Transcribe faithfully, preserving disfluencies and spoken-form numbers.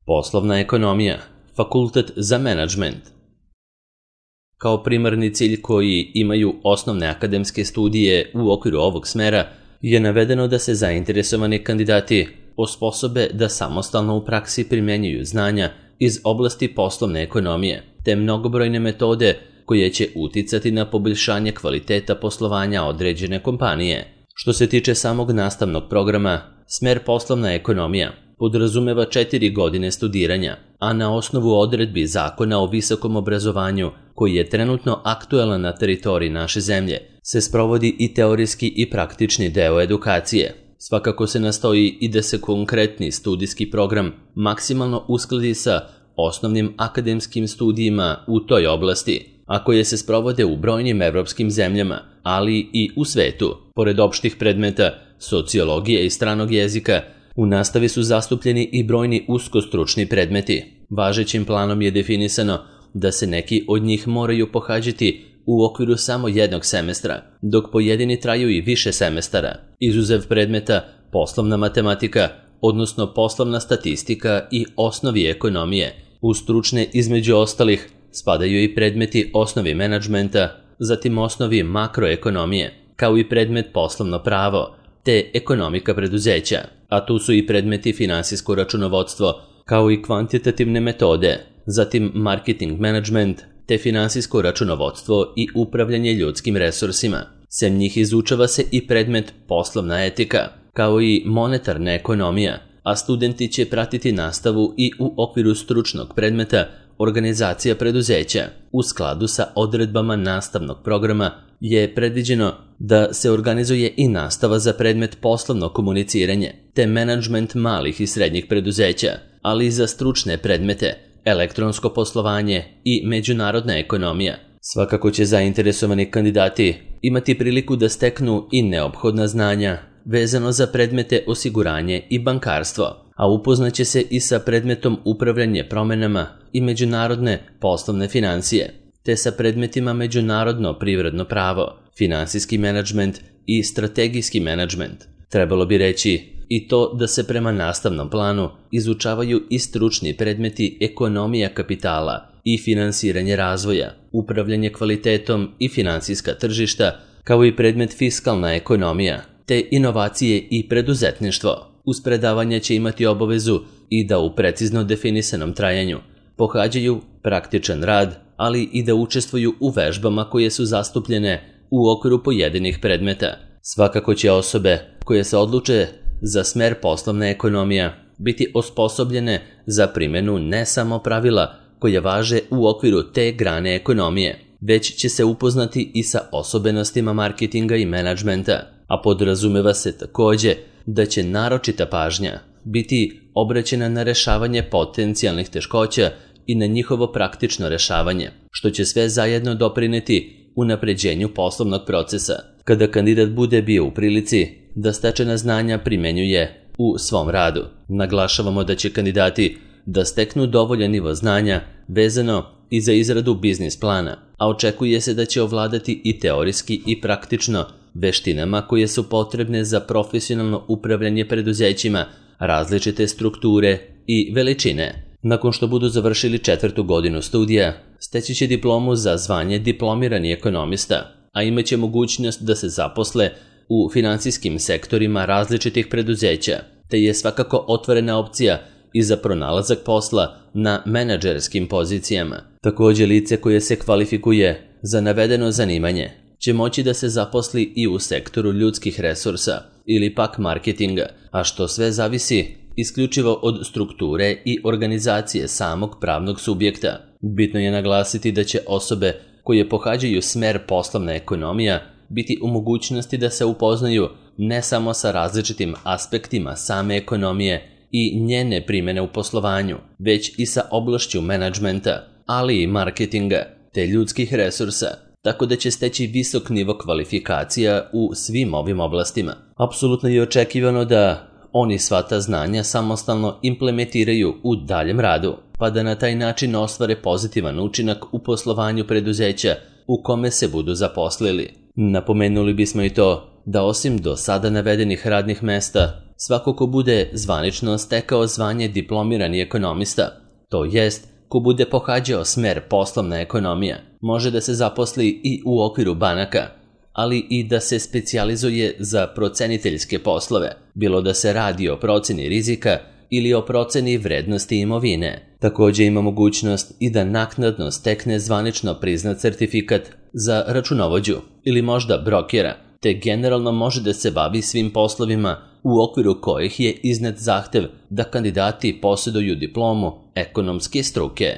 Poslovna ekonomija, fakultet za menadžment. Kao primarni cilj koji imaju osnovne akademske studije u okviru ovog smera je navedeno da se zainteresovani kandidati osposobe da samostalno u praksi primenjuju znanja iz oblasti poslovne ekonomije, te mnogobrojne metode koje će uticati na poboljšanje kvaliteta poslovanja određene kompanije. Što se tiče samog nastavnog programa, smer poslovna ekonomija podrazumeva četiri godine studiranja, a na osnovu odredbi Zakona o visokom obrazovanju, koji je trenutno aktuelan na teritoriji naše zemlje, se sprovodi i teorijski i praktični deo edukacije. Svakako se nastoji i da se konkretni studijski program maksimalno uskladi sa osnovnim akademskim studijima u toj oblasti, a koje se sprovode u brojnim evropskim zemljama, ali i u svetu. Pored opštih predmeta sociologije i stranog jezika, u nastavi su zastupljeni i brojni uskostručni predmeti. Važećim planom je definisano da se neki od njih moraju pohađati u okviru samo jednog semestra, dok pojedini traju i više semestara. Izuzev predmeta poslovna matematika, odnosno poslovna statistika i osnovi ekonomije, u stručne između ostalih spadaju i predmeti osnovi menadžmenta, zatim osnovi makroekonomije, kao i predmet poslovno pravo, te ekonomika preduzeća, a tu su i predmeti finansijsko računovodstvo, kao i kvantitativne metode, zatim marketing management, te finansijsko računovodstvo i upravljanje ljudskim resursima. Sem njih izučava se i predmet poslovna etika, kao i monetarna ekonomija, a studenti će pratiti nastavu i u okviru stručnog predmeta organizacija preduzeća. U skladu sa odredbama nastavnog programa je predviđeno da se organizuje i nastava za predmet poslovno komuniciranje, te menadžment malih i srednjih preduzeća, ali i za stručne predmete, elektronsko poslovanje i međunarodna ekonomija. Svakako će zainteresovani kandidati imati priliku da steknu i neophodna znanja vezano za predmete osiguranje i bankarstvo, a upoznaće se i sa predmetom upravljanje promenama i međunarodne poslovne financije, te sa predmetima međunarodno privredno pravo, finansijski menadžment i strategijski menadžment. Trebalo bi reći i to da se prema nastavnom planu izučavaju i stručni predmeti ekonomija kapitala i finansiranje razvoja, upravljanje kvalitetom i finansijska tržišta, kao i predmet fiskalna ekonomija, te inovacije i preduzetništvo. Uz predavanje će imati obavezu i da u precizno definisanom trajanju pohađaju praktičan rad, ali i da učestvuju u vežbama koje su zastupljene u okviru pojedinih predmeta. Svakako će osobe koje se odluče za smer poslovna ekonomija biti osposobljene za primjenu ne samo pravila koje važe u okviru te grane ekonomije, već će se upoznati i sa osobenostima marketinga i menadžmenta, a podrazumeva se takođe da će naročita pažnja biti obraćena na rešavanje potencijalnih teškoća i na njihovo praktično rešavanje, što će sve zajedno doprineti unapređenju poslovnog procesa. Kada kandidat bude bio u prilici da stečena znanja primenjuje u svom radu, naglašavamo da će kandidati da steknu dovoljan nivo znanja vezano i za izradu biznis plana, a očekuje se da će ovladati i teorijski i praktično veštinama koje su potrebne za profesionalno upravljanje preduzećima različite strukture i veličine. Nakon što budu završili četvrtu godinu studija, steći će diplomu za zvanje diplomirani ekonomista, a imaće mogućnost da se zaposle u finansijskim sektorima različitih preduzeća, te je svakako otvorena opcija i za pronalazak posla na menadžerskim pozicijama. Takođe, lice koje se kvalifikuje za navedeno zanimanje će moći da se zaposli i u sektoru ljudskih resursa ili pak marketinga, a što sve zavisi isključivo od strukture i organizacije samog pravnog subjekta. Bitno je naglasiti da će osobe koje pohađaju smer poslovna ekonomija biti u mogućnosti da se upoznaju ne samo sa različitim aspektima same ekonomije i njene primjene u poslovanju, već i sa oblašću menadžmenta, ali i marketinga, te ljudskih resursa, tako da će steći visok nivo kvalifikacija u svim ovim oblastima. Apsolutno je očekivano da oni sva ta znanja samostalno implementiraju u daljem radu, pa da na taj način ostvare pozitivan učinak u poslovanju preduzeća u kome se budu zaposlili. Napomenuli bismo i to da osim do sada navedenih radnih mesta, svako ko bude zvanično stekao zvanje diplomirani ekonomista, to jest ko bude pohađao smer poslovna ekonomija, može da se zaposli i u okviru banaka, ali i da se specijalizuje za proceniteljske poslove, bilo da se radi o proceni rizika ili o proceni vrednosti imovine. Također ima mogućnost i da naknadno stekne zvanično priznat certifikat za računovođu ili možda brokera, te generalno može da se bavi svim poslovima u okviru kojih je iznet zahtev da kandidati posjeduju diplomu ekonomske struke.